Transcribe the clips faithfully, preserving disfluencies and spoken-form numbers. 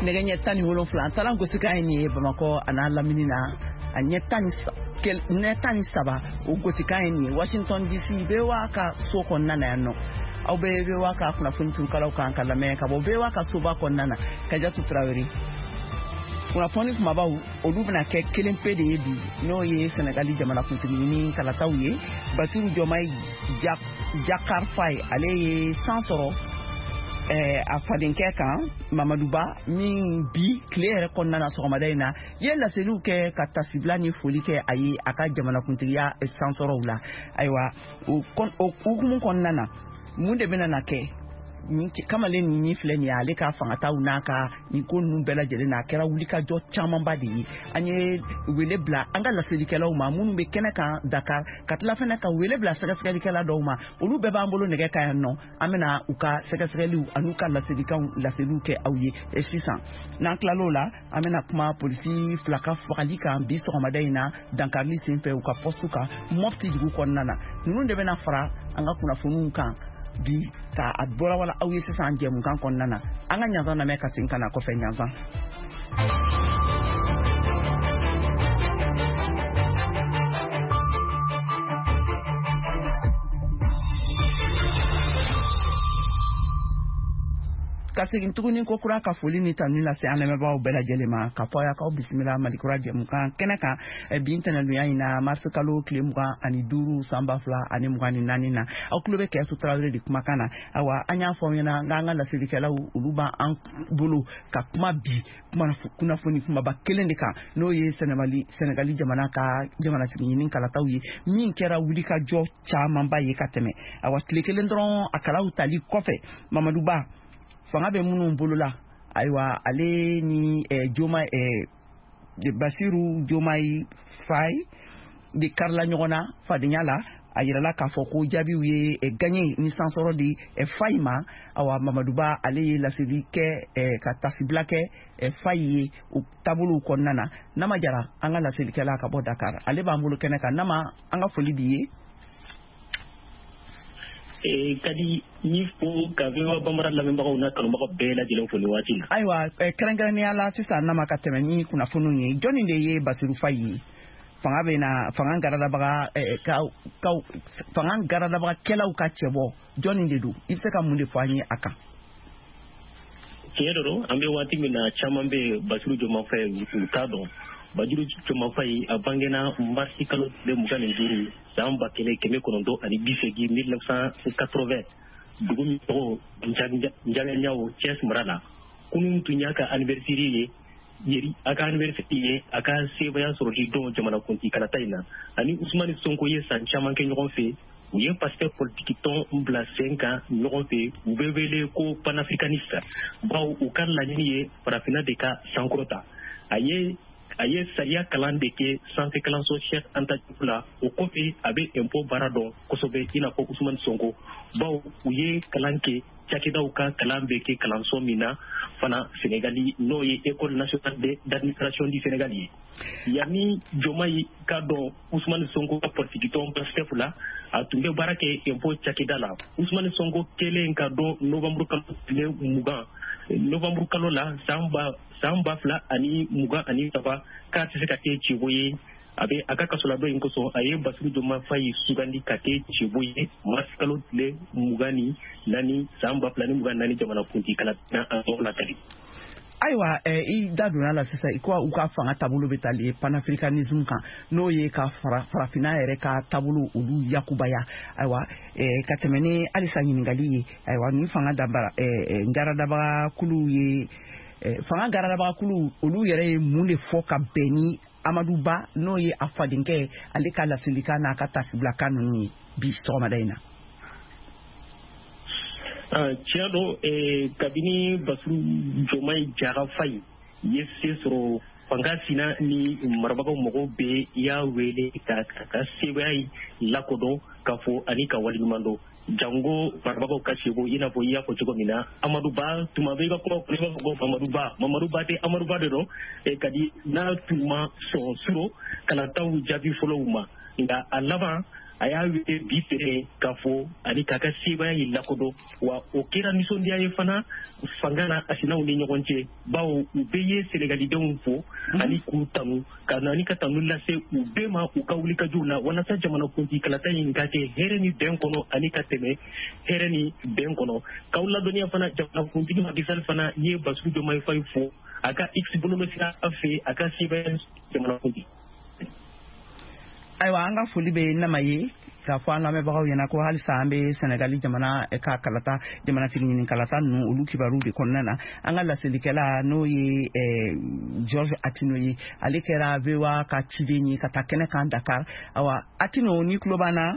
Nɛgɛ ɲɛ tan ni wolonfila an taara gosikan ye nin ye Bamakɔ a n'a lamini na a ɲɛ tan ni tan ni saba o gosikan ye nin ye Washington D C V O A ka so kɔnɔna na yan nɔ aw bɛ V O A ka kunnafoni turukalaw kan ka lamɛn ka bɔ V O A ka soba kɔnɔna na Kajatu Tarawele kunnafoni kumabaw olu bɛna kɛ kelen pe de ye bi n'o ye Senegali jamanakuntigi ɲini kalataw ye Bassirou Diomaye Diakhar Faye ale ye san sɔrɔ eh, a fadenkɛ kan Mamadou Ba min bi tile yɛrɛ kɔnɔna na sɔgɔmada in na ye laseliw kɛ ka tasibila ni foli kɛ a ye a ka jamanakuntigiya sansɔrɔw la ayiwa o hukumu kɔnɔna na mun de bɛna na kɛ nin kamalen nin min filɛ nin ye ale ka fangataw n'a ka nin ko ninnu bɛɛ lajɛlen na a kɛra wulikajɔ camanba de ye an ye wele bila an ka laselikɛlaw ma minnu bɛ kɛnɛ kan Dakar ka tila fana ka wele bila sɛgɛsɛgɛlikɛla dɔw ma olu bɛɛ b'an bolo nɛgɛ kan yan nɔ an bɛna u ka sɛgɛsɛgɛliw an'u ka laselikanw laseliw kɛ aw ye sisan n'an tilal'o la an bɛna kuma polisi fila ka fagali kan bi sɔgɔmada in na dankarili senfɛ u ka poste kan Mopti dugu kɔnɔna na ninnu de bɛna fara an ka kunnafoniw kan bi ka a bɔra wala aw ye sisan jɛmukan kɔnɔna na an ka ɲanzan lamɛn ka segin ka na kɔfɛ ɲanzan. Ka segin tuguni ko kura ka foli ni tanu lase an lamɛnbagaw bɛɛ lajɛlen ma ka fɔ aw k'aw bisimila Malikura jɛmukan kɛnɛ kan bi ntɛnɛndonya in na mars kalo tile mugan ani duuru san ba fila ani mugan ni naani na aw tulo bɛ Kajatu Tarawele de kumakan na ayiwa an y'a fɔ aw ɲɛna k'an ka laselikɛlaw olu b'an bolo ka kuma bi kunnafoni kumaba kelen de kan n'o ye Senegali Senegali jamana ka jamanatigi ɲini kalataw ye min kɛra wulikajɔ camanba ye ka tɛmɛ ayiwa tile kelen dɔrɔn a kalaw tali kɔfɛ Mamadou Ba fanga bɛ minnu bolo la ayiwa ale ni eh, Diomaye eh, Bassirou Diomaye Faye de karila ɲɔgɔn na fadenya la a yirala k'a fɔ ko jaabiw ye eh, gagné ni sansɔrɔ di eh, Faye ma awa Mamadou Ba ale ye laseli kɛ eh, ka tasibila kɛ eh, Faye ye o taabolow kɔnɔna na Nama Jara an ka laselikɛla ka bɔ Dakar ale b'an bolo kɛnɛ kan Nama an ka foli b'i ye. Kadi ni fo ka V O A Bambara lamɛnbagaw n'a kanubagaw bɛɛ lajɛlen fo nin waati in na. Ayiwa kɛrɛnkɛrɛnnenya la sisan Nama ka tɛmɛ ni kunnafoniw ye jɔnni de ye Bassirou Faye ye fanga bɛ na fanga garadabaga ka ka fanga garadabagakɛlaw ka cɛbɔ jɔnni de don i bɛ se ka mun de fɔ an ye a kan. Tiɲɛ dɔrɔn an bɛ waati min na caman bɛ Bassirou Diomaye Faye u t'a dɔn. Bassirou Diomaye Faye a bangena marsi kalo tile mugan ni duuru san ba kelen kɛmɛ kɔnɔntɔn ani bi seegin mille neuf cent quatre-vingts dugu min tɔgɔ Ndiaganiao Thiès mara la kunun tun y'a ka anniversaire ye yeri a ka anniversaire ye a ka sebaya sɔrɔli don jamanakuntigi kalata in na ani Ousmane Sonko ye san caman kɛ ɲɔgɔn fɛ u ye Pastef politiki tɔn bila sen kan ɲɔgɔn fɛ u bɛ wele ko panafricaniste bawo u ka laɲini ye farafinna de ka sankɔrɔta a ye a ye sariya kalan de kɛ sanfɛ kalanso Cheikh Anta Diop la o kɔfɛ a bɛ impôt baara dɔn kosɛbɛ i n'a fɔ Ousmane Sonko bawo u ye kalan kɛ cakɛdaw ka kalan bɛ kɛ kalanso min na fana Senegali n'o ye École nationale d'administration du Sénégal ye yanni Diomaye ka dɔn Ousmane Sonko ka politiki tɔn Pastef la a tun bɛ baara kɛ impôt cakɛda la Ousmane Sonko kɛlen ka dɔn novembre kalo tile mugan novembre kalo la san ba san ba fila ani mugan ani saba k'a tɛ se ka kɛ cɛbɔ ye a bɛ a ka kasoladon in kosɔn a ye Bassirou Diomaye Faye sugandi ka kɛ cɛbɔ ye mars kalo tile mugan ni naani san ba fila ni mugan naani jamanakuntigi kalata an tɔgɔ la kari. Ayiwa i da donna la sisan i ko u ka fanga taabolo bɛ tali panafricanisme kan n'o ye ka fara farafinna yɛrɛ ka taabolo olu yakubaya ayiwa ka tɛmɛ ni halisa ɲininkali ye ayiwa ni fanga dabara garadabagakulu ye fanga garadabagakulu olu yɛrɛ ye mun de fɔ ka bɛn ni Amadou Ba n'o ye a fadenkɛ ale ka laselikan n'a ka tasibilakan ninnu ye bi sɔgɔmada in na. Tiɲɛ don kabini Bassirou Diomaye Diakhar Faye ye se sɔrɔ fanga sina ni marabagaw mɔgɔw bɛɛ y'a wele ka ka sebaya lakodɔn k'a fɔ ani ka waleɲuman dɔn jango marabagaw ka seko i n'a fɔ i y'a fɔ cogo min na Amadou Ba tuma bɛɛ i ka kuma i b'a fɔ ko Mamadou Ba Mamadou Ba tɛ Amadou Ba de don kadi n'a tun ma sɔn suro kalataw jaabi fɔlɔw ma nka a laban A y'a wele bi tere k'a fɔ ani k'a ka sebaaya in lakodɔn, wa o kɛra nisɔndiya ye fana fanga na a sinaw ni ɲɔgɔn cɛ, bawo u bɛɛ ye Senegalidenw fo ani k'u tanu ka na ni ka tanu lase u bɛɛ ma u ka wulikajɔw la walasa jamanakuntigi kalata in ka kɛ hɛrɛ ni bɛn kɔnɔ ani ka tɛmɛ hɛrɛ ni bɛn kɔnɔ. K'aw ladɔnniya fana, jamanakuntigi Macky Sall fana ye Bassirou Diomaye Faye fo a ka X bɔlɔlɔsira fɛ a ka sebaaya jamanakuntigi. Ayiwa, an ka foli bɛ Nama ye k'a fɔ an lamɛnbagaw ɲɛna ko halisa an bɛ Senegali jamana ka kalata, jamanatigi ɲini kalata ninnu, olu kibaru de kɔnɔna na. An ka laselikɛla, n'o ye George Atino ye, ale kɛra V O A ka ciden ye ka taa kɛnɛ kan Dakar. Ayiwa, Atino, ni tulo b'an na?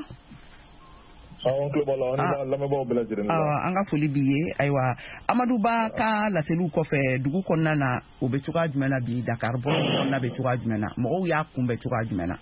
Awɔ, n tulo b'a la, an b'a lamɛnbagaw bɛɛ lajɛlen. An ka foli b'i ye. Ayiwa, Amadu Ba ka laseliw kɔfɛ, dugu kɔnɔna na, o bɛ cogoya jumɛn na bi? Dakar bɔlɔn kɔnɔna bɛ cogoya jumɛn na? Mɔgɔw y'a kunbɛn cogoya jumɛn na?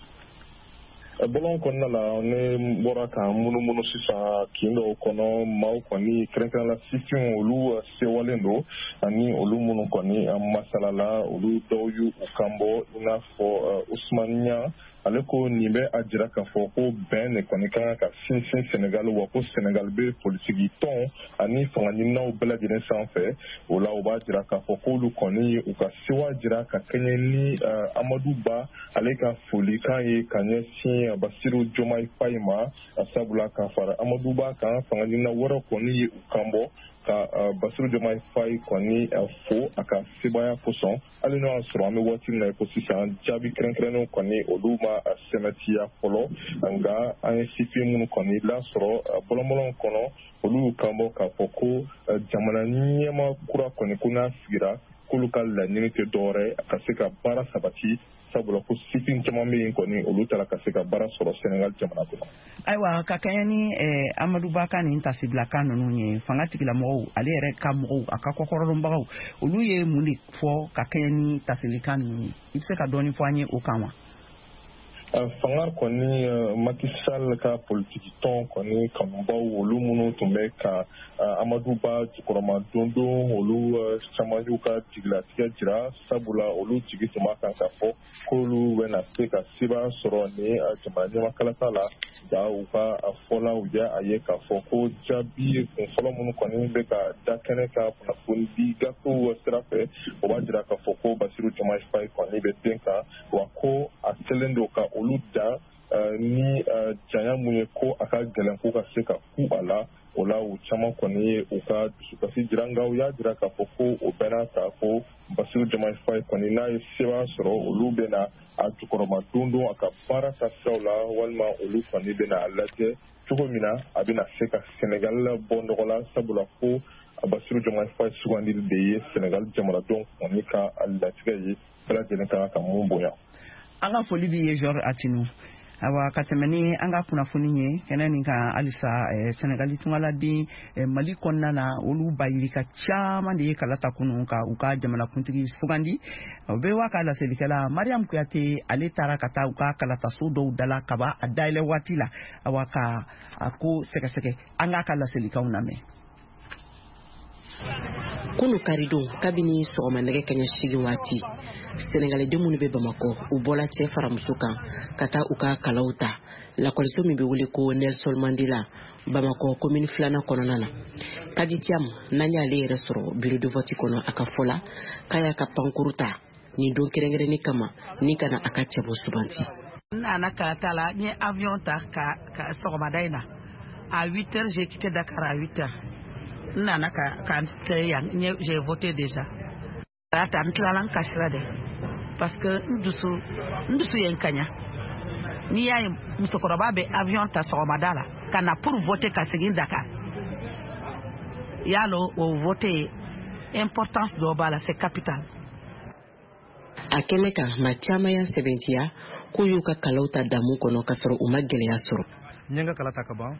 Bɔlɔn kɔnɔna la, ne bɔra ka munumunu sisan kin dɔw kɔnɔ. Maaw kɔni, kɛrɛnkɛrɛn la sifinw, olu sewalen don, ani olu minnu kɔni masalala, olu dɔw y'u kan bɔ, i n'a fɔ Usumani Ɲan. Ale ko nin bɛ a jira k'a fɔ ko bɛn de kɔni ka kan ka sinsin Senegal, wa ko Senegal bɛ politiki tɔn ani fanga ɲininaw bɛɛ lajɛlen sanfɛ. O la, o b'a jira k'a fɔ k'olu kɔni u ka sewa jira ka kɛɲɛ ni Amadu Ba ale ka folikan ye ka ɲɛsin Basiru Diomaye Faye ma, sabula ka fara Amadu Ba kan, fanga ɲinina wɛrɛ kɔni ye u kan bɔ ka Basiru Diomaye Faye kɔni fo a ka sebaaya kosɔn, hali n'o y'a sɔrɔ an bɛ waati min na i ko sisan, jaabi kɛrɛnkɛrɛnnenw kɔni, olu ma sɛmɛtiya fɔlɔ. Nka an ye sifin minnu kɔni lasɔrɔ bɔlɔnbɔlɔn kɔnɔ, olu y'u kan bɔ k'a fɔ ko jamana ɲɛma kura kɔni, ko n'a sigira, k'olu ka laɲini tɛ dɔwɛrɛ ka se ka baara sabati, sabula ko sifin caman bɛ yen kɔni, olu taara ka se ka baara sɔrɔ Senegal jamana kɔnɔ. Ayiwa, ka kɛɲɛ ni Amadu Ba ka nin tasibilakan ninnu ye, fanga tigilamɔgɔw, ale yɛrɛ ka mɔgɔw, a ka kɔkɔrɔdɔnbagaw, olu ye mun de fɔ ka kɛɲɛ ni tasilikan ninnu ye? I bɛ se ka dɔɔni fɔ an ye o kan wa? Fanga kɔni, Macky Sall ka politiki tɔn kɔni kanubaw, olu minnu tun bɛ ka Amadu Ba jukɔrɔma dondon, olu caman y'u ka jigilatigɛ jira, sabula olu jigi tun b'a kan k'a fɔ k'olu bɛna se ka sebaaya sɔrɔ ni jamana ɲɛmakalata la. Nka u ka fɔla, u y'a ye k'a fɔ ko jaabi kunfɔlɔ minnu kɔni bɛ ka da kɛnɛ ka kunnafoni di gafew sira fɛ, o b'a jira k'a fɔ ko Basiru Diomaye Faye kɔni bɛ den kan, wa ko a kɛlen don ka olu dan ni janya mun ye, ko a ka gɛlɛn ko ka se ka ku a la. O la, u caman kɔni ye u ka dusukasi jira, nka u y'a jira k'a fɔ ko o bɛɛ n'a ta, ko Basiru Diomaye Faye kɔni, n'a ye sebaaya sɔrɔ, olu bɛna a jukɔrɔma don don a ka baara ta siraw la, walima olu kɔni bɛna a lajɛ cogo min na a bɛna se ka Senegal bɔ nɔgɔ la, sabula ko Basiru Diomaye Faye sugandili de ye Senegal jamanadenw kɔni ka latigɛ ye, bɛɛ lajɛlen ka kan ka mun bonya. An ka foli b'i ye, George Atinu. Awa, ka tɛmɛ ni an ka kunnafoni ye kɛnɛ nin kan halisa, Senegali tungaladen Mali kɔnɔna na, olu bayirika caman de ye kala ta kunun ka u ka jamanakuntigi sugandi. O bɛ wa ka laselikɛla Mariam Kuyate, ale taara ka taa u ka kalataso dɔw dala kaba a dayɛlɛ waati la, awa, ka a ko sɛgɛsɛgɛ. An k'a ka laselikanw lamɛn. Kunu karidon, kabini sɔgɔma nɛgɛ kaɲɛ seegin waati, Sɛnɛgaliden minnu bɛ Bamakɔ, u bɔla cɛ fara muso kan ka taa u ka kalaw ta lakɔliso min bɛ wele ko Nelson Mandela, Bamakɔ komini filanan kɔnɔna na. Kadi Tiam, n'an y'ale yɛrɛ sɔrɔ bureau de vote kɔnɔ, a ka fɔ la k'a y'a ka pankuru ta nin don kɛrɛnkɛrɛnni kama ni ka na a ka cɛbɔ suganti. N nana kalata la. N ye avion ta ka, ka sɔgɔmada in na à huit heures. J'ai quitté Dakar à huit heures. N nana ka ka n kɛ yan. N ye, j'ai voté déjà. Ta n tilala, n kasira dɛ, parce que n dusu n dusu ye n kaɲa. N'i y'a ye musokɔrɔba bɛ avion ta sɔgɔmada la ka na pour voter, ka segin Dakar, y'a lɔn o vote importance dɔ b'a la, c'est capital. A kɛnɛ kan, maa caman y'a sɛbɛntiya k'u y'u ka kalaw ta damu kɔnɔ k'a sɔrɔ u ma gɛlɛya sɔrɔ. N ye n ka kala ta ka ban.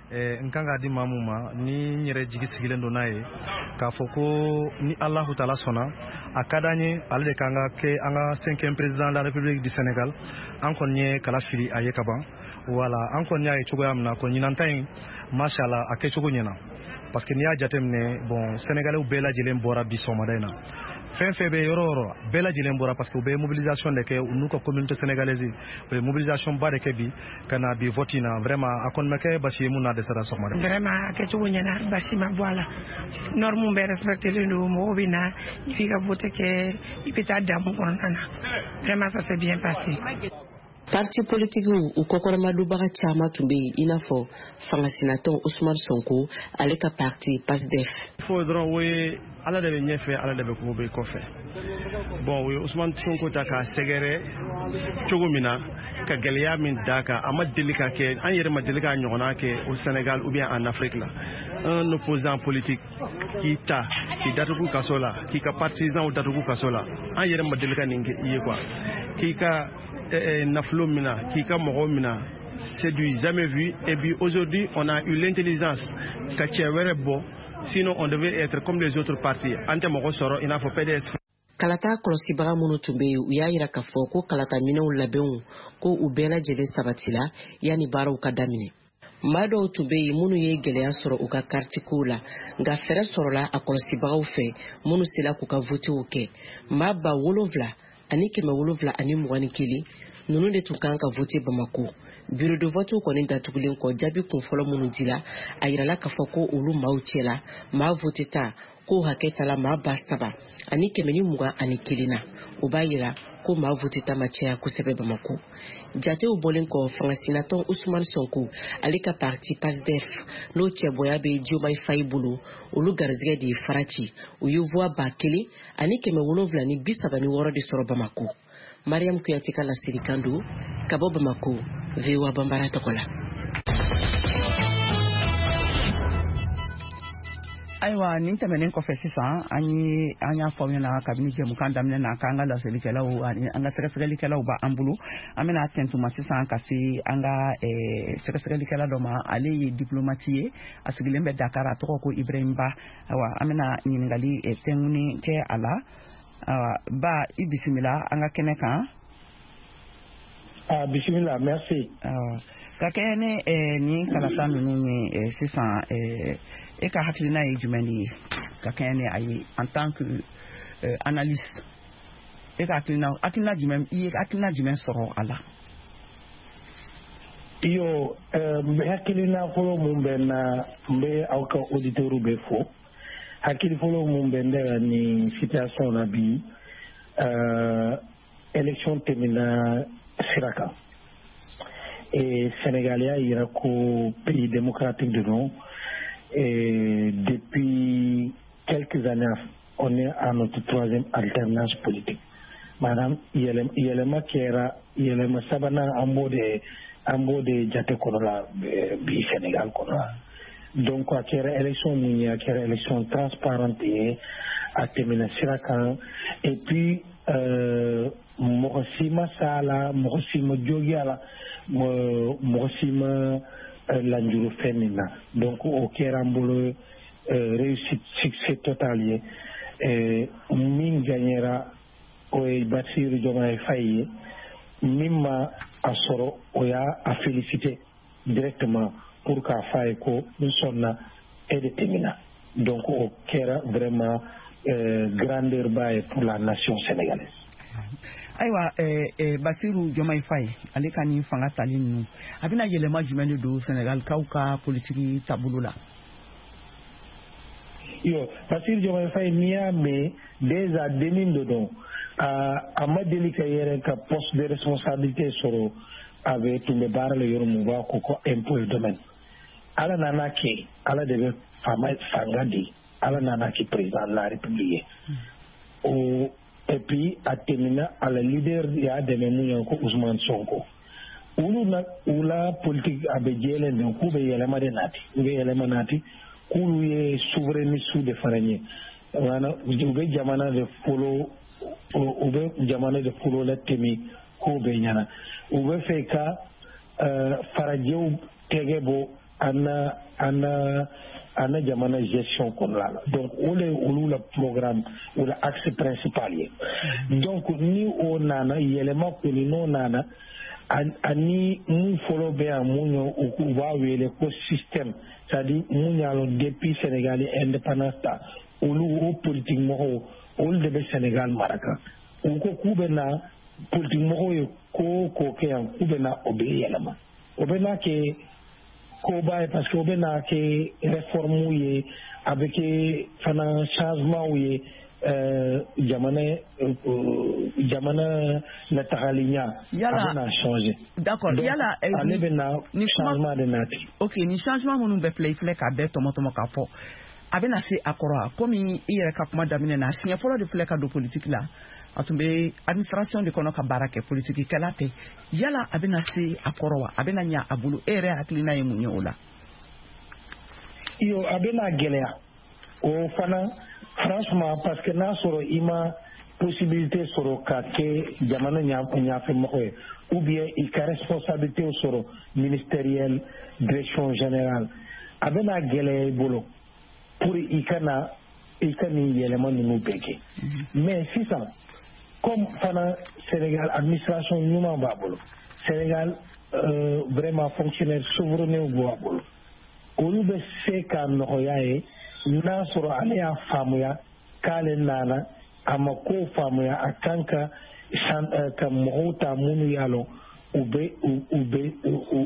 N kan k'a di maa mun ma, ni n yɛrɛ jigi sigilen don n'a ye k'a fɔ ko ni Alahu Taala sɔnna, a ka d'an ye ale de k'an ka kɛ an ka cinquième président de la République du Sénégal. An kɔni ye kala fili a ye ka ban. Wala an kɔni y'a ye cogoya min na ko ɲinan ta in, mashallah, a kɛcogo ɲɛna, parce que n'i y'a jateminɛ, bon, Sénégalais bɛɛ lajɛlen bɔra bi sɔgɔmada in na. Fɛn fɛn bɛ yɔrɔ o yɔrɔ, bɛɛ lajɛlen bɔra parce que u bɛ mobilisation de kɛ u n'u ka communauté sénégalaise. U ye mobilisation ba de kɛ bi ka na bi vote in na. Vraiment, a kɔni ma kɛ basi ye mun na dɛsɛra sɔgɔmada. Vraiment, a kɛcogo ɲɛna, basi ma bɔ a la, norme bɛɛ respectelen don. Mɔgɔw bɛ na, i b'i ka vote kɛ, i bɛ taa damu kɔnɔna na. Vraiment, ça s'est bien passé. Parti politikiw u kɔkɔrɔmadonbaga caman tun bɛ yen, i n'a fɔ fangasinatɔn Ousmane Sonko, ale ka parti PASTEF. Fo dɔrɔn, o ye Ala de bɛ ɲɛfɛ, Ala de bɛ ko bɛ kɔfɛ. Bon, o ye Ousmane Sonko ta k'a sɛgɛrɛ cogo min na, ka gɛlɛya min d'a kan, a ma deli ka kɛ, an yɛrɛ ma deli k'a ɲɔgɔnna kɛ au Sénégal ou bien en Afrique la. Un opposant politique k'i ta k'i datugu kaso la, k'i ka partisan datugu kaso la, an yɛrɛ ma deli ka nin kɛ i ye quoi. K'i ka nafolo mina, k'i ka mɔgɔw mina, c'est du jamais vu. Et puis aujourd'hui, on a eu l'intelligence ka cɛ wɛrɛ bɔ, sinon on devait être comme les autres partis, an tɛ mɔgɔ sɔrɔ i n'a fɔ P D S. Kalata kɔlɔsibaga minnu tun bɛ yen, u y'a yira k'a fɔ ko kalata minɛnw labɛnw ko u bɛɛ lajɛlen sabatila yanni baaraw ka daminɛ. Maa dɔw tun bɛ yen minnu ye gɛlɛya sɔrɔ u ka karitikow la, nka fɛɛrɛ sɔrɔla a kɔlɔsibagaw fɛ minnu sela k'u ka votew kɛ. Maa ba wolonfila ani kɛmɛ wolonfila ani mugan ni kelen ninnu de tun kan ka vote Bamako. Bureau de vote kɔni datugulen kɔ, jaabi kunfɔlɔ minnu dila, a yirala k'a fɔ ko olu maaw cɛla, maa vote ta k'o hakɛ tala maa ba saba ani kɛmɛ ni mugan ani kelen na. O b'a yira ko maa vote ta ma caya kosɛbɛ Bamako. Jatew bɔlen kɔ, fangasinatɔn Ousmane Sonko, ale ka parti PASTEF, n'o cɛbɔya bɛ Diomaye Faye bolo, olu garizigɛ de ye fara ci. U ye voix ba kelen ani kɛmɛ wolonfila ni bi saba ni wɔɔrɔ de sɔrɔ Bamako. Mariam Kuyate ka laselikan don ka bɔ Bamako, V O A Banbara tɔgɔ la. Ayiwa, nin tɛmɛnen kɔfɛ sisan, an ye an y'a fɔ aw ɲɛna kabini jɛmukan daminɛ na k'an ka laselikɛlaw ani an ka sɛgɛsɛgɛlikɛlaw b'an bolo. An bɛna tɛntuma sisan ka se an ka sɛgɛsɛgɛlikɛla dɔ ma. Ale ye diplomate ye, a sigilen bɛ Dakar, a tɔgɔ ko Ibrahim Ba. Ayiwa, an bɛna ɲininkali tɛnkuni kɛ a la. Ayiwa, Ba, i bisimila an ka kɛnɛ kan. Ah, bisimila, merci. Ka kɛɲɛ ni nin kalata ninnu ye sisan, e ka hakilina ye jumɛn de ye ka kɛɲɛ ni a ye en tant que euh, analyste? E ka hakilina hakilina jumɛn, i ye hakilina jumɛn sɔrɔ a la? Iyo, n bɛ hakilina fɔlɔ mun bɛ n na, n bɛ aw ka auditeurs bɛ fo. Hakili fɔlɔ mun bɛ ne la nin situation na bi, élection tɛmɛna sira kan et Sénégal y'a yira ko pays démocratique de don. Et depuis quelques années, on est à notre troisième alternance politique, maanaam yɛlɛma kɛra, yɛlɛma sabanan, an b'o de an b'o de jate kɔnɔ la bi Sénégal kɔnɔ la. Donc a kɛra élection mun ye, a kɛra élection transparente ye, a tɛmɛna sira kan. Et puis euh, mɔgɔ si ma s'a la, mɔgɔ si ma jogi a la, mɔgɔ si ma lanjuru fɛn min na. Donc o kɛra an bolo réussite, succès total ye. Min gagnera, o ye Bassirou Diomaye Faye ye. Min ma a sɔrɔ, o y'a a félicité directement pour k'a f'a ye ko n sɔnna, e de tɛmɛna. Donc o kɛra vraiment euh, grandeur ba ye pour la nation sénégalaise. Ayiwa, eh, eh, Basiru Diomaye Faye, ale ka nin fanga tali ninnu, a bɛna yɛlɛma jumɛn de don Sénégalikaw ka politiki taabolo la? Yo, Bassirou Diomaye Faye, n'i y'a mɛn déjà dennin de don, a ma deli ka yɛrɛ ka poste de responsabilité sɔrɔ. A bɛ tun bɛ baara la yɔrɔ min, u b'a ko ko impôt et domaine. Ala nana kɛ, Ala de bɛ faama fanga di, Ala nana kɛ président de la République ye o. Et puis a tɛmɛna a la leader y'a dɛmɛ mun ye, ko Ousmane Sonko. Olu na u la politique a bɛ jɛlen de, k'u bɛ yɛlɛma de nati, u bɛ yɛlɛma nati, k'olu ye souverainiste de fana ye. Maanaam u bɛ jamana de folo, u bɛ jamana de folo la tɛmɛ ko bɛɛ ɲɛna. U bɛ fɛ ka farajɛw tɛgɛ bɔ an na an na an na jamana gestion kɔnɔna la. Donc o de ye olu la programme, o la axe principal ye. Donc ni o nana yɛlɛma kɔni, n'o nana ani mun fɔlɔ bɛ yan, mun ye, u b'a wele ko système, c'est à dire mun y'a lɔn depuis Sénégal ye indépendance ta, olu o politique mɔgɔw, Olu de bɛ Sénégal mara kan. U ko k'u bɛ na politique mɔgɔw ye ko o ko kɛ yan, k'u bɛ na o bɛ yɛlɛma. O bɛ na kɛ koba ye parce que o bɛ na kɛ réforme ye, a bɛ kɛ fana changement ye, euh, jamana euh, jamana latagali ɲa a bɛ na changer. D'accord. Yala ale bɛ na changement de nati. Ok, ni changement minnu bɛɛ filɛ, i filɛ k'a bɛɛ tɔmɔ tɔmɔ k'a fɔ, a bɛna se a kɔrɔ a komi i yɛrɛ ka kuma daminɛ na, siɲɛ fɔlɔ de filɛ ka don politique la, a tun bɛ administration de kɔnɔ ka baara kɛ, politique kɛla tɛ. Yala a bɛna se a kɔrɔ wa? A bɛna ɲa a bolo? E yɛrɛ hakilina ye mun ye o la? Iyo, a bɛna gɛlɛya o fana franchement, parce que n'a sɔrɔ i ma possibilité sɔrɔ ka kɛ jamana ɲafɛmɔgɔ ye, ou bien i ka responsabilité sɔrɔ ministérielle, direction générale, a bɛna gɛlɛya i bolo pour i kana i ka nin yɛlɛma ninnu bɛɛ kɛ. Mais sisan comme fana Sénégal administration ɲuman b'a bolo, Sénégal euh, vraiment fonctionnaire souverain b'a bolo, olu bɛ se ka nɔgɔya ye n'a sɔrɔ ale y'a faamuya k'ale nana a ma ko faamuya, a kan ka ka mɔgɔw ta minnu y'a lɔn u bɛ u bɛ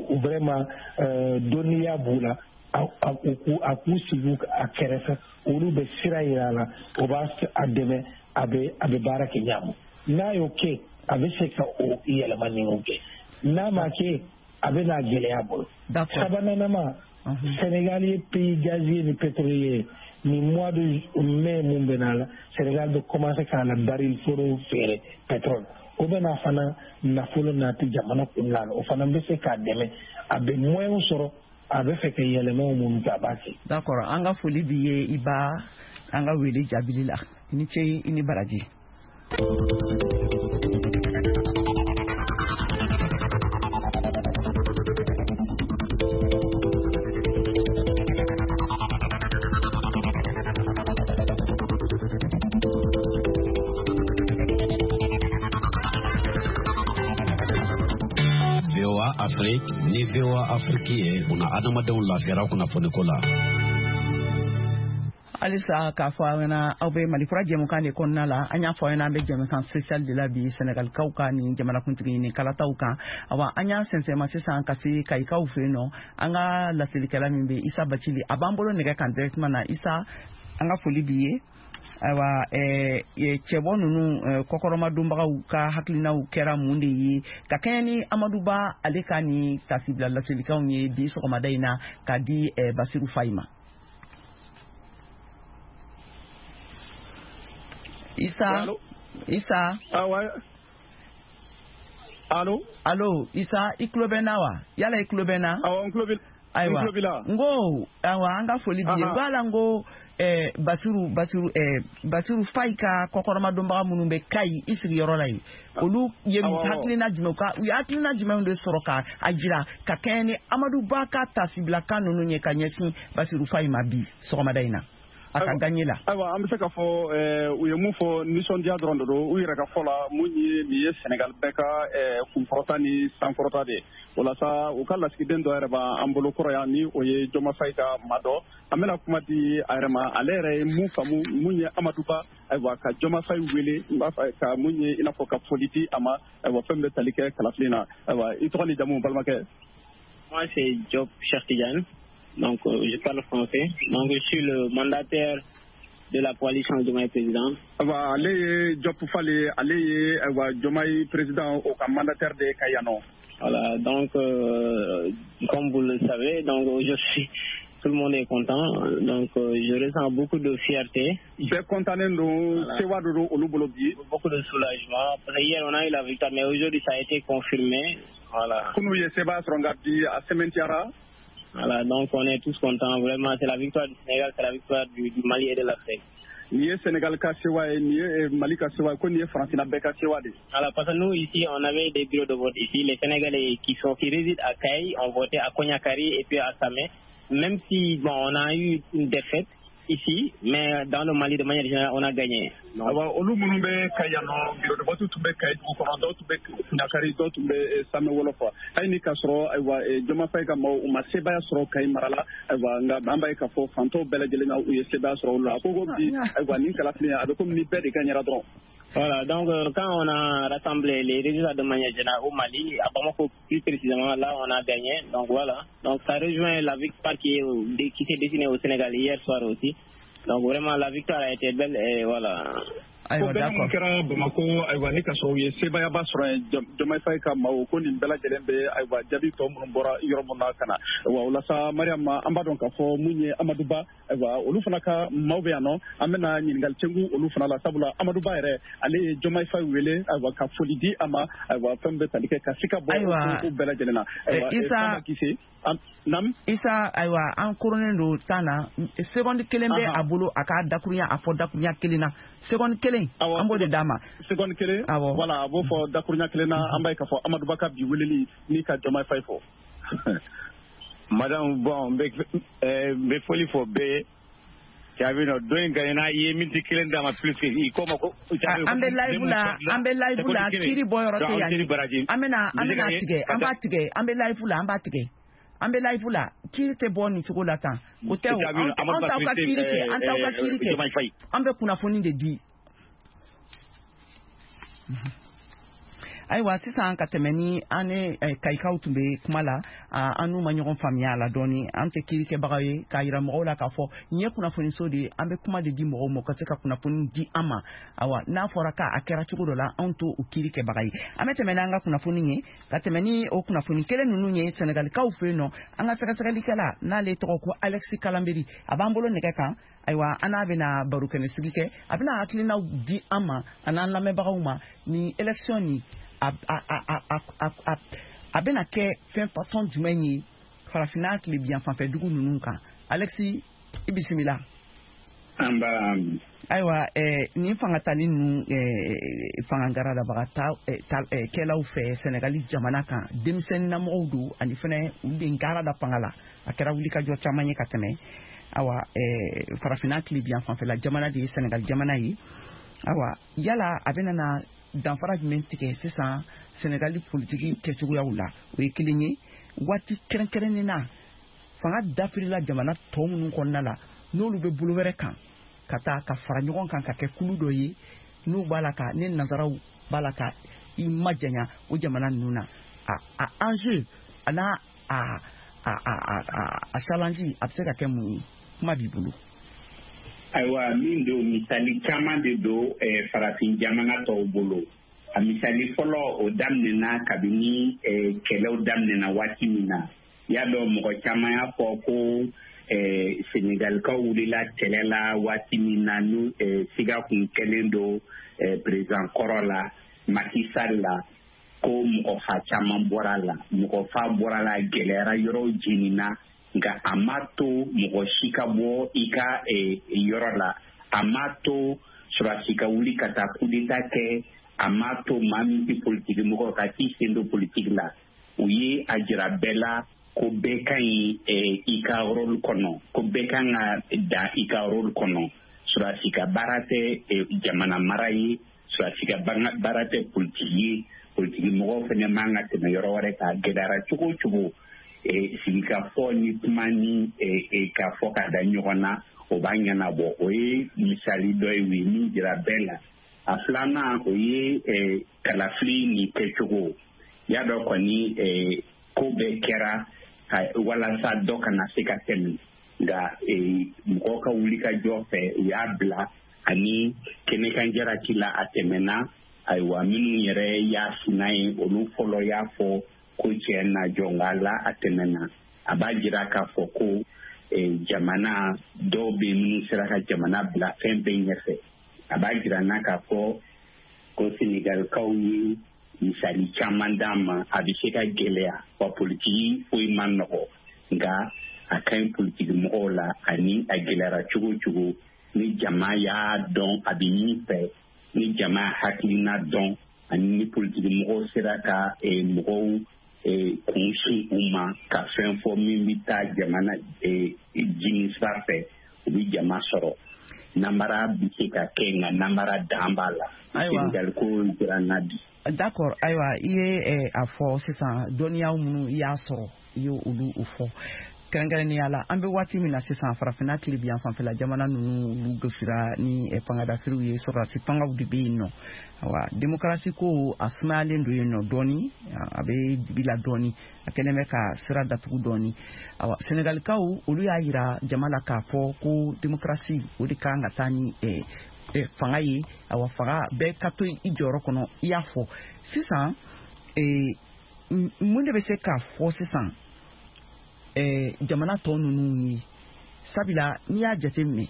u vraiment dɔnniya b'u la, a k'u sigi a kɛrɛfɛ, olu bɛ sira yira a la, o b'a a dɛmɛ, a bɛ a bɛ baara kɛ ɲa. N'a y'o kɛ, a bɛ se ka o yɛlɛma ninnu kɛ. N'a ma kɛ, a bɛ n'a gɛlɛya bolo. Sabananama, Sénégal ye pays gazier ni pétrolier. Ni mois de mai mun bɛ na la, Sénégal bɛ commencer k'a la baril foro feere pétrole. O bɛ na fana nafolo nati jamana kunna la, o fana bɛ se k'a dɛmɛ, a bɛ moyen sɔrɔ, a bɛ fɛ ka yɛlɛmaw minnu kɛ, a b'a kɛ. D'accord, an ka foli b'i ye i ba an ka wele jaabili la. I ni ce, i ni baraji. V O A Afrique ni V O A Afrique ye una adamadenw lafiyara kunnafoniko la. Halisa k'a fɔ aw ɲɛna, aw bɛ Malikura jɛmukan de kɔnɔna la. An y'a fɔ aw ɲɛna, an bɛ jɛmukan spécial de la bi Senegalikaw ka nin jamanakuntigi ɲini kalataw kan. Awa, an y'an sɛnsɛnma sisan ka se Kayikaw fɛ yen nɔ. An ka laselikɛla min bɛ Isa Bacili, a b'an bolo nɛgɛ kan directement na. Isa, an ka foli b'i ye. Ayiwa, cɛbɔ ninnu kɔkɔrɔmadonbagaw ka hakilinaw kɛra mun de ye ka kɛɲɛ ni Amadu Ba ale ka nin tasibila laselikanw ye bi sɔgɔmada in na ka di Basiru Fayi ma? Isa, Isa. Ah ouais. Allo? Allo, Isa, i tulo bɛ n na wa? Yala i tulo bɛ n na? Awɔ, n tulo b'i Ayiwa, n ko ayiwa, an ka foli b'i ye. N ko ala, n ko eh, Basiru Basiru eh, Basiru Fayi ka kɔkɔrɔmadonbaga minnu bɛ Kayi i sigiyɔrɔ la yen, olu ye hakilina jumɛn ka u ye hakilina jumɛnw de sɔrɔ ka a jira ka kɛɲɛ ni Amadu Ba ka tasibilakan ninnu ye ka ɲɛsin Basiru Fayi ma bi sɔgɔmada in na a ka gagné la? Ayiwa, an bɛ se k'a fɔ u ye mun fɔ, nisɔndiya dɔrɔn de don u yɛrɛ ka fɔ la. Mun ye nin ye Sénégal bɛɛ ka kunkɔrɔta ni sankɔrɔta de ye. O la sa, u ka lasigiden dɔ yɛrɛ b'an bolo kɔrɔ yan, ni o ye Joma Fayi ka maa dɔ. An bɛna kuma di a yɛrɛ ma, ale yɛrɛ ye mun faamu mun ye Amadu Ba, ayiwa, ka Joma Fayi wele, n b'a fɛ ka mun ye i n'a fɔ ka foli di a ma, ayiwa, fɛn bɛ tali kɛ kalafili na. Ayiwa, i tɔgɔ ni jamu, balimakɛ? Moi, c'est Diop Cheikh Tidiane. Donc, euh, je parle français. Donc, je suis le mandataire de la coalition Diomaye Président. Ayiwa, ale ye Diop Fale, ale ye ayiwa Diomaye Président o ka mandataire de ka yan nɔ. Voilà, donc, euh, comme vous le savez, donc aujourd'hui, tout le monde est content. Donc, euh, je ressens beaucoup de fierté. Bɛɛ content don, sewa de don olu bolo bi. Beaucoup de soulagement. Parce que hier, on a eu la victoire, mais aujourd'hui, ça a été confirmé. Voilà. Kunu ye seba sɔrɔ nka bi a sɛmɛntiyara. Voilà, donc on est tous contents. Vraiment, c'est la victoire du Sénégal, c'est la victoire du, du Mali et de l'Afrique. Nin ye Sénégal ka sewa ye, nin ye Mali ka sewa ye, ko nin ye Farafinna bɛɛ ka sewa de. Voilà, parce que nous, ici, on avait des bureaux de vote ici. Les Sénégalais qui sont, qui résident à Kayes ont voté à Konyakari et puis à Samé. Même si, bon, on a eu une défaite, ici, mais dans le Mali, de manière générale, on a gagné. Awa olu minnu bɛ Kayi yan nɔ, bureau de vote tun bɛ Kayi dugu kɔnɔ, dɔw tun bɛ Kuɲakari, dɔw tun bɛ Samɛ Wɔlɔfɔ. Hali ni k'a sɔrɔ ayiwa Diomaye Faye ka maaw u ma sebaaya sɔrɔ Kayi mara la, ayiwa nka an b'a ye k'a fɔ fantanw bɛɛ lajɛlen na u ye sebaaya sɔrɔ olu la. A ko ko bi ayiwa nin kalafili a bɛ komi ni bɛɛ de gagnera dɔrɔn. Voilà, donc euh, quand on a rassemblé les résultats de manière générale au Mali, à Bamako plus précisément, là on a gagné. Donc voilà, donc ça rejoint la victoire qui, est, qui s'est dessinée au Sénégal hier soir aussi. Donc vraiment la victoire a été belle et voilà. Ko bɛɛ mun kɛra Bamako, ayiwa ni ka sɔrɔ u ye sebaayaba sɔrɔ yen, Diomaye Faye ka maaw ko nin bɛɛ lajɛlen bɛ ayiwa jaabi tɔ minnu bɔra yɔrɔ min na ka na. Ayiwa o la sa Mariam, an b'a dɔn k'a fɔ mun ye Amadou Ba, ayiwa olu fana ka maaw bɛ yan nɔ, an bɛna ɲininkali cɛngu olu fana la, sabula Amadou Ba yɛrɛ ale ye Diomaye Faye wele ayiwa ka foli di a ma, ayiwa fɛn bɛ tali kɛ ka se ka bɔ ko bɛɛ lajɛlen na. Ayiwa Isa Nam Isa, ayiwa an koronnen don tan na, seconde kelen bɛ a bolo a k'a dakurunya a fɔ dakurunya kelen na, seconde kelen an b'o de d'a ma. Seconde kelen, voilà, a b'o fɔ dakurunya kelen na. An b'a ye k'a fɔ Amadou Ba ka bi weleli ni ka Diomaye Faye fɔ. Madame, bon, n bɛ foli fɔ bɛɛ ye. Caabi nɔ don in gagnera, i ye miniti kelen d'a ma plus que i ko ma ko. An bɛ live la, an bɛ live la, kiiri bɔ yɔrɔ tɛ yan. An bɛna an bɛna tigɛ, an b'a tigɛ, an bɛ live la, an b'a tigɛ. An bɛ live la, kiiri tɛ bɔ nin cogo la tan. O tɛ o, an t'aw ka kiiri kɛ, an t'aw ka kiiri kɛ. An bɛ kunnafoni de di. Ayiwa sisan ka tɛmɛ ni an ni Kayikaw tun bɛ kuma la, an n'u ma ɲɔgɔn faamuya a la dɔɔni. An tɛ kiirikɛbagaw ye k'a yira mɔgɔw la k'a fɔ nin ye kunnafoniso de ye, an bɛ kuma de di mɔgɔw ma ka se ka kunnafoni di an ma. Ayiwa n'a fɔra k'a kɛra cogo dɔ la, anw t'o kiirikɛbaga ye. An bɛ tɛmɛ n'an ka kunnafoni ye, ka tɛmɛ ni o kunnafoni kelen ninnu ye Sɛnɛgalikaw fɛ yen nɔ. An ka sɛgɛsɛgɛlikɛla n'ale tɔgɔ ko Alexis Kalanberi, a b'an bolo nɛgɛ kan. Ayiwa an n'a bɛna baro kɛnɛ sigi kɛ, a bɛna hakilinaw di an ma a n'an lamɛnbagaw ma ni élection nin a a a a a a bɛna kɛ fɛn façon jumɛn ye farafinna tilebiyan fanfɛ dugu ninnu kan. Alexis, i bisimila. An b'a. Ayiwa eh, nin fangatali ninnu eh, fangagaradabaga ta, eh, ta, eh, kɛlaw fɛ Sɛnɛgali jamana kan, denmisɛnninnamɔgɔw don ani fɛnɛ olu de gara da fanga la. A kɛra wulikajɔ caman ye ka tɛmɛ. Awa eh, farafinna tilebiyan fanfɛla jamana de ye Sɛnɛgali jamana ye. Awa yala a bɛna na danfara jumɛn tigɛ sisan Sɛnɛgali politiki kɛcogoyaw la? O ye kelen ye. Waati kɛrɛnkɛrɛnnen na fanga dafirila jamana tɔ minnu kɔnɔna la, n'olu bɛ bolo wɛrɛ kan ka taa ka fara ɲɔgɔn kan ka kɛ kulu dɔ ye, n'u b'a la ka ne nansaraw b'a la ka i majanya o jamana ninnu na, a a enjeu a n'a a a a a a challenge a bɛ se ka kɛ mun ye? Kuma b'i bolo. Ayiwa min don, misali caman de don eh, farafin jamana tɔw bolo. A misali fɔlɔ o daminɛna kabini eh, kɛlɛw daminɛna waati min na. I y'a dɔn mɔgɔ caman y'a fɔ ko eh, Senegalikaw wulila kɛlɛ la waati min na n'u eh, siga kun kɛlen don eh, président kɔrɔ la Macky Sall la, ko mɔgɔ fa caman bɔra la, mɔgɔ fa bɔra la, gɛlɛyara, yɔrɔw jenina. Nka a ma to mɔgɔ si ka bɔ i ka yɔrɔ la, a ma to sɔrɔdasi ka wuli ka taa coup d'état kɛ, a ma to maa min tɛ politiki mɔgɔ ka t'i sen don politiki la. U ye a jira bɛɛ la ko bɛɛ ka ɲi i ka rôle kɔnɔ, ko bɛɛ kan ka dan i ka rôle kɔnɔ. Sɔrɔdasi ka baara tɛ jamana mara ye, sɔrɔdasi ka baara tɛ politiki ye, politiki mɔgɔw fana man ka tɛmɛ yɔrɔ wɛrɛ kan. Gɛlɛyara cogo o cogo, sigikafɔ ni kuma ni k'a fɔ ka da ɲɔgɔn na, o b'a ɲɛnabɔ. O ye misali dɔ ye, u ye min jira bɛɛ la. A filanan o ye kalafili nin kɛcogo. I y'a dɔn kɔni ko bɛɛ kɛra walasa dɔ kana se ka tɛmɛ, nka mɔgɔw ka wulikajɔ fɛ u y'a bila ani kɛnɛkanjaraki la a tɛmɛna. Ayiwa minnu yɛrɛ y'a sina ye, olu fɔlɔ y'a fɔ ko tiɲɛ na jɔn la a tɛmɛna. A b'a jira k'a fɔ ko jamana dɔw bɛ minnu sera ka jamana bila fɛn bɛɛ ɲɛfɛ. A b'a jira n'a k'a fɔ ko Senegalikaw ye misali caman d'an ma. A bɛ se ka gɛlɛya wa politiki foyi man nɔgɔ, nka a ka ɲi politiki mɔgɔw la, ani a gɛlɛyara cogo o cogo, ni jama y'a dɔn a bɛ min fɛ, ni jama hakilina dɔn, ani ni politiki mɔgɔw sera ka mɔgɔw kun sin u ma ka fɛn fɔ min bɛ taa jamana jini sira fɛ, u bɛ jama sɔrɔ. Namara bɛ se ka kɛ, nka namara dan b'a la. Senegal ko jira n na bi. D'accord, ayiwa, i ye a fɔ sisan, dɔnniyaw minnu i y'a sɔrɔ, i ye olu fɔ. Kɛrɛnkɛrɛnnenya la, an bɛ waati min na sisan, farafinna tilebiyan fanfɛla jamana ninnu, olu gosira ni fangadafiriw ye, sɔrɔdasi fangaw de bɛ yen nɔ. Awa, demokarasi ko a sumayalen don yen nɔ dɔɔni, a bɛ dibi la dɔɔni, a kɛlen bɛ ka sira datugu dɔɔni. Awa, Senegalikaw, olu y'a yira jama la k'a fɔ ko demokarasi o de kan ka taa ni fanga ye. Awa, fanga bɛɛ ka to i jɔyɔrɔ kɔnɔ. I y'a fɔ sisan, mun de bɛ se k'a fɔ sisan jamana tɔ ninnu ye? Sabula n'i y'a jateminɛ,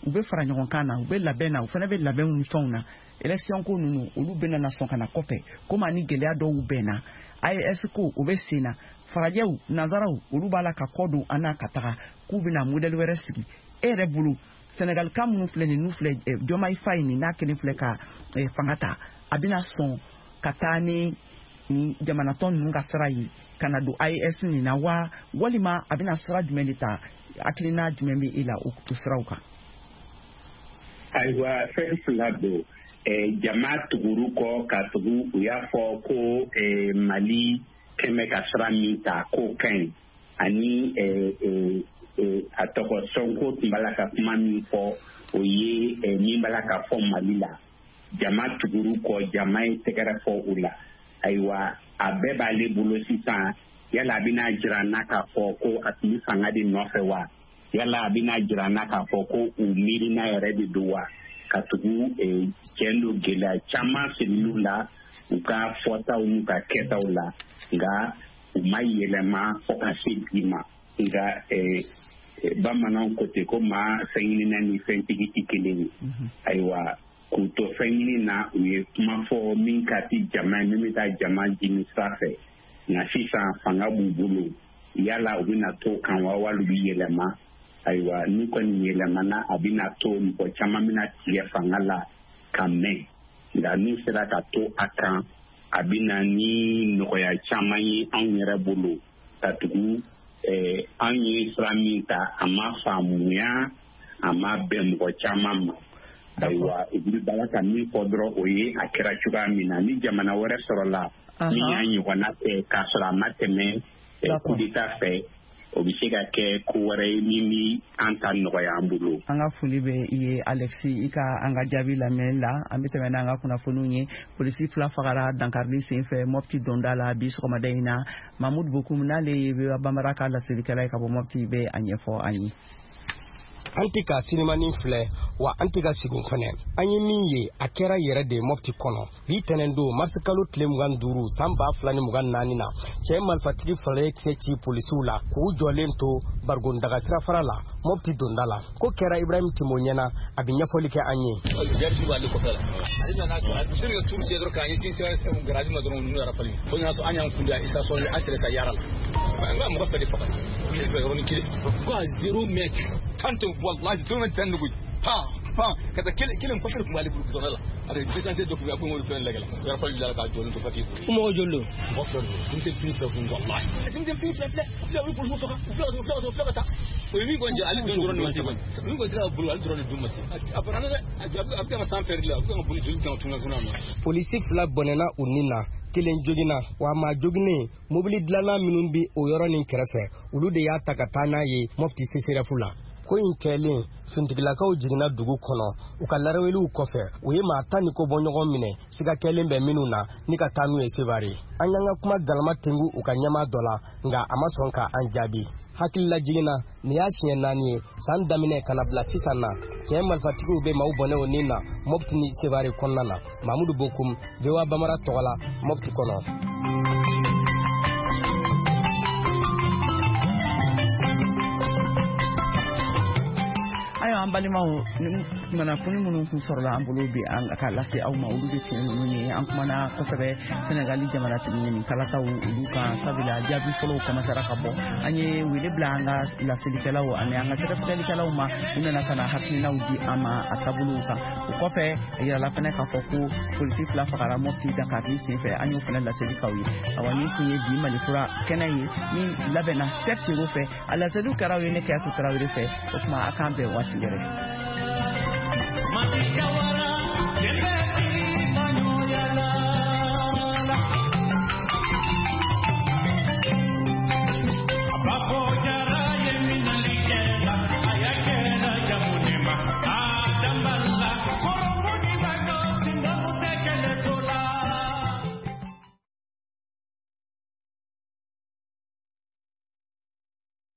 u bɛ fara ɲɔgɔn kan na, u bɛ labɛn na, u fana bɛ labɛnw ni fɛnw na. Élection ko ninnu, olu bɛna na sɔn ka na kɔfɛ, komi ani gɛlɛya dɔw bɛnna. A E S ko o bɛ sen na, farajɛw, nanzaraw, olu b'a la ka kɔ don an na ka taga k'u bɛna modèle wɛrɛ sigi. E yɛrɛ bolo, Senegal ka minnu filɛ nin, n'u filɛ Diomaye Faye nin, n'a kelen filɛ ka fanga ta, a bɛna sɔn ka taa ni ni jamanatɔn ninnu ka sira ye ka na don A E S nin na wa, walima a bɛna sira jumɛn de ta? Hakilina jumɛn bɛ e la o siraw kan? Ayiwa, fɛn fila don. Jama tuguru kɔ ka tugu, u y'a fɔ ko Mali kɛmɛ ka sira min ta k'o ka ɲi, ani a tɔgɔ Sonko tun b'a la ka kuma min fɔ, o ye min b'a la ka fɔ Mali la. Jama tuguru kɔ, jama ye tɛgɛrɛ fɔ o la. Ayiwa, a bɛɛ b'ale bolo sisan. Yala a bɛna jira n na k'a fɔ ko a tun bɛ fanga de nɔfɛ wa? Yala a bɛna jira n na k'a fɔ ko u miirina yɛrɛ de don wa? Ka tugu tiɲɛ don, gɛlɛya caman siriliw la u ka fɔtaw n'u ka kɛtaw la, nka u ma yɛlɛma fo ka se bi ma. Nka bamananw ko ten ko maa fɛn ɲinina ni fɛntigi tɛ kelen ye. Ayiwa, k'u to fɛn ɲini na, u ye kuma fɔ min ka di jama ye, min bɛ taa jama jimi sira fɛ. Nka sisan fanga b'u bolo, yala u bɛna to kan wa, wali u bɛ yɛlɛma? Ayiwa, n'u kɔni yɛlɛmana, a bɛna to mɔgɔ caman bɛna tigɛ fanga la ka mɛn. Nka n'u sera ka to a kan, a bɛna ni nɔgɔya caman ye anw yɛrɛ bolo, ka tugu anw ye sira min ta, a ma faamuya, a ma bɛn mɔgɔ caman ma. Ayiwa, u bɛ bala ka min fɔ dɔrɔn, o ye a kɛra cogoya min na. Ni jamana wɛrɛ sɔrɔla min y'a ɲɔgɔnna kɛ k'a sɔrɔ a ma tɛmɛ coup d'état fɛ, o bɛ se ka kɛ ko wɛrɛ ye min bɛ an ta nɔgɔya an bolo. An ka foli bɛ i ye, Alexis, i ka an ka jaabi lamɛn la. An bɛ tɛmɛ n'an ka kunnafoniw ye. Polisi fila fagara dankarili senfɛ Mopti donda la bi sɔgɔmada in na. Mahmoud Bokum, n'ale ye Bambara ka laselikɛla ye ka bɔ Mopti, bɛ a ɲɛfɔ an ye. An tɛ ka sinimani filɛ wa, an tɛ ka segin fɛnɛ. An ye min ye, a kɛra yɛrɛ de Mopti kɔnɔ bi tɛnɛn don, marisikalo tile mugan duuru san ba fila ni mugan naani na. Cɛ marifatigi fila ye kisɛ ci polisiw la k'u jɔlen to barigondaga sirafara la Mopti donda la. Ko kɛra Ibrahim Timo ɲɛna, a bɛ ɲɛfɔli kɛ an ye. Garisi b'ale kɔfɛ la, ale nana a seri ka turu dɔrɔn k'a ɲɛsin sira garazi ma dɔrɔn, ninnu yɛrɛ falen fo nana sɔrɔ an y'an kunbɛn station an sera sa yara la. N ka mɔgɔ fila de faga, polisi fila yɔrɔnin kelen ko a zéro mètre tan tɛ, wallahi zéro mètre tan de koyi, pan pan ka taa kelen kelen kɔfɛ tun b'ale bolo gudɔrɔn la, a bɛ distance dɔ kun bɛ a ko olu fɛn lajɛ la yɔrɔ fɔli la k'a jɔlen to papier. Ko mɔgɔ joli don? Mɔgɔ fila don, denmisɛnnin fitinin fila kun, wallahi denmisɛnnin fitinin fila filɛ filɛ, olu polisiw faga, u fila ka taa, u fila ka taa. O ye min kɔni jɛ, ale dɔrɔn de ma se kɔni, min kɔni sera ka bolo, ale dɔrɔn de dun ma se. A banna dɛ, a bɛ ka san fɛrɛ la, a bɛ se ka boli joli kan tuna tuna ma. Polisi fila bɔnɛna u ni na, kelen joginna wa maa joginen, mobili dilanna minnu bi o yɔrɔ nin kɛrɛfɛ, olu de y'a ta ka taa n'a ye Mopti C C R F la. Ko in kɛlen, fintigilakaw jiginna dugu kɔnɔ. U ka laraweliw kɔfɛ, u ye maa tan ni ko bɔ ɲɔgɔn minɛ, siga kɛlen bɛ minnu na, ni ka taa n'u ye Sevare. An y'an ka kuma galama tengu u ka ɲɛmaa dɔ la, nka a ma sɔn ka an jaabi. Hakilila jiginna, nin y'a siɲɛ naani ye san daminɛ ka na bila sisan na, cɛ marifatigiw bɛ maaw bɔnɛ o ni na Mopti ni Sevare kɔnɔna na. Mamudu Bokum, V O A Bambara tɔgɔ la, Mopti kɔnɔ. Ayiwa, An balimaw, kunnafoni minnu kun sɔrɔla an bolo bi an ka lase aw ma, olu de tun ye ninnu ye. An kumana kosɛbɛ Senegali jamanatigi ɲini kalataw olu kan, sabula jaabi fɔlɔw kɔmasara ka bɔ. An ye wele bila an ka laselikɛlaw ani an ka sɛgɛsɛgɛlikɛlaw ma, u nana ka na hakilinaw di an ma a taabolow kan. O kɔfɛ, a yirala fɛnɛ k'a fɔ ko polisi fila fagara Mopti dankari senfɛ, an y'o fɛnɛ laseli k'aw ye. Awa, nin tun ye bi Malikura kɛnɛ ye min labɛnna Cheick Tero fɛ, a laseliw kɛra aw ye ne Kayatu Tarawele fɛ. O tuma, a k'an bɛn waati wɛrɛ.